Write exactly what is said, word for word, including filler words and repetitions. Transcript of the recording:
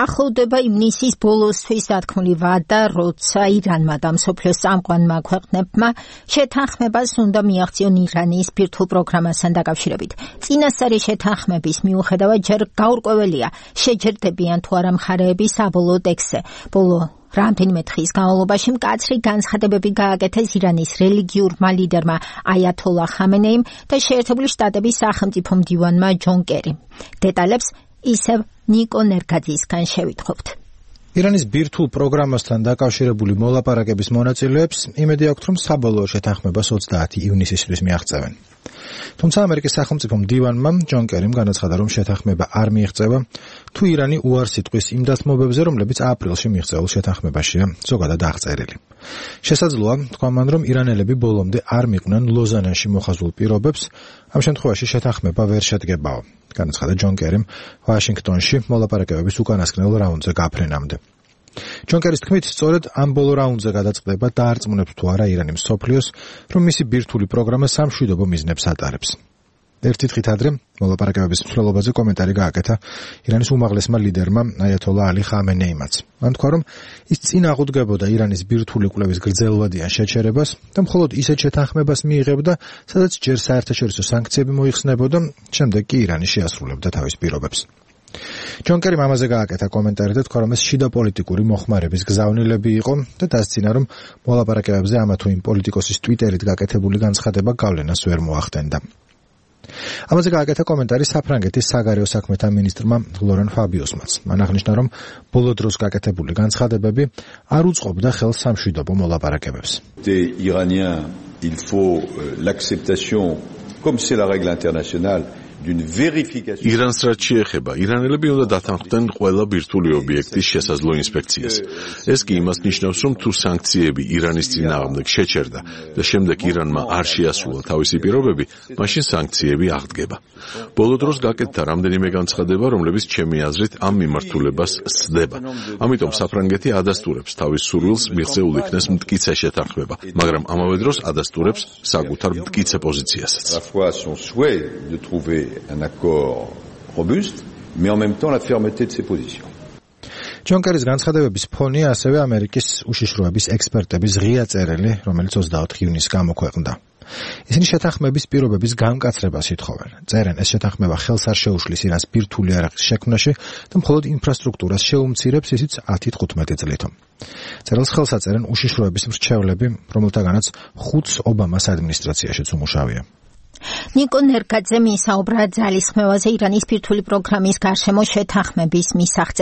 ახლოვდება ივნისის ბოლოსთვის დათქმული ვადა, როცა ირანმა და მსოფლიოს წამყვანმა ქვეყნებმა შეთანხმებას უნდა მიაღწიონ ირანის ბირთვულ პროგრამასთან დაკავშირებით. წინასწარი შეთანხმების მიუხედავად ჯერ გაურკვეველია, შეჯერდებიან თუ არა მხარეები საბოლოო ტექსტზე. ბოლო რამდენიმე დღის განმავლობაში მკაცრი განცხადებები გააკეთეს ირანის რელიგიურმა ლიდერმა აიათოლა ხამენეიმ და შეერთებული შტატების სახელმწიფო მდივანმა ჯონ კერიმ. დეტალებს ისევ ნიკო ნერგაძისგან შევითხოვთ. ირანის ბირთვულ პროგრამასთან დაკავშირებული მოლაპარაკების მონაწილეებს იმედი აქვთ, რომ საბოლოო შეთანხმებას ოცდაათი ივნისისთვის მიაღწევენ. თუმცა ამერიკის სახელმწიფო მდივანმა ჯონ კერიმ განაცხადა, რომ შეთანხმება არ მიიღწევა, თუ ირანი უარს იტყვის იმ დათმობებზე, რომლებიც აპრილში მიიღწეულ შეთანხმებაშია ზოგადად აღწერილი. შესაძლოა, თქვა მან, რომ ირანელები ბოლომდე არ მიყვნენ ლოზანაში მოხაზულ პირობებს, ამ შემთხვევაში შეთანხმება ვერ შედგებაო, განაცხადა ჯონ კერიმ ვაშინგტონში მოლაპარაკებების უკანასკნელ რაუნდზე გაფრენამდე. ჯონ კერის თქმით, სწორედ ამ ბოლო რაუნდზე გადაწყდება დაარწმუნებს თუ არა ირანი მსოფლიოს, რომ მისი ბირთვული პროგრამა სამშვიდობო მიზნებს ატარებს. ერთი დღით ადრე მოლაპარაკებების მსვლელობაზე კომენტარი გააკეთა ირანის უმაღლესმა ლიდერმა აიათოლა ალი ხამენეიმაც. მან თქვა, რომ ის წინ აღუდგებოდა ირანის ბირთვული კვლევის გრძელვადიან შეჩერებას და მხოლოდ ისეთ შეთანხმებას მიიღებდა, სადაც ჯერ საერთაშორისო სანქციები მოიხსნებოდა, შემდეგ კი ირანი შეასრულებდა თავის პირობებს. ჯონ კერიმ ამაზე გააკეთა კომენტარი და თქვა, რომ ეს შიდა პოლიტიკური მოხმარების გზავნილები იყო და დასცინა, რომ მოლაპარაკებებზე ამა თუ იმ პოლიტიკოსის ტვიტერით გაკეთებული განცხადება გავლენას ვერ მოახდენდა. ამაზე გააკეთა კომენტარი საფრანგეთის საგარეო საქმეთა მინისტრმა ლორენ ფაბიოსმაც. მან აღნიშნა, რომ ბოლო დროს გაკეთებული განცხადებები არ უწყობდა ხელს სამშვიდობო მოლაპარაკებებს. Iranien, il faut l'acceptation, comme c'est la règle internationale. ირანს რაც შეეხება, ირანელები უნდა დათანხმდნენ ყველა ბირთვული ობიექტის შესაძლო ინსპექციას. ეს კი იმას ნიშნავს, რომ თუ სანქციები ირანის წინააღმდეგ შეჩერდა და შემდეგ ირანმა არ შეასრულა თავისი პირობები, მაშინ სანქციები აღდგება. ბოლო დროს გაკეთდა რამდენიმე განცხადება, რომლებიც ჩემი აზრით ამ მიმართულებას სცდება. ამიტომ საფრანგეთი ადასტურებს თავის სურვილს მიღწეულ იქნეს მტკიცე შეთანხმება, მაგრამ ამავე დროს ადასტურებს საკუთარ მტკიცე პოზიციასაც. un accord robuste, mais en même temps la fermeté de ses positions. ჯონ კერის განცხადებების ფონია ასევე ამერიკის უშიშროების ექსპერტების ღია წერილი, რომელიც ოცდაოთხ ივნისს გამოქვეყნდა. ისინი შეთანხმების პირობების გამკაცრებას ითხოვენ. წერენ, ეს შეთანხმება ხელს არ შეუშლის ირანს ბირთვული იარაღის შექმნაში და მხოლოდ ინფრასტრუქტურას შეუმცირებს, ისიც ათი თხუთმეტი წლით. წერილს ხელს აწერენ უშიშროების მრჩევლები, რომელთაგანაც ხუთს ობამას ადმინისტრაციაშიც უმუშავია. ნიკო ნერგაძე მისაუბრა ძალისხმევაზე ირანის ბირთვული პროგრამის გარშემო შეთანხმების მისაღწევ.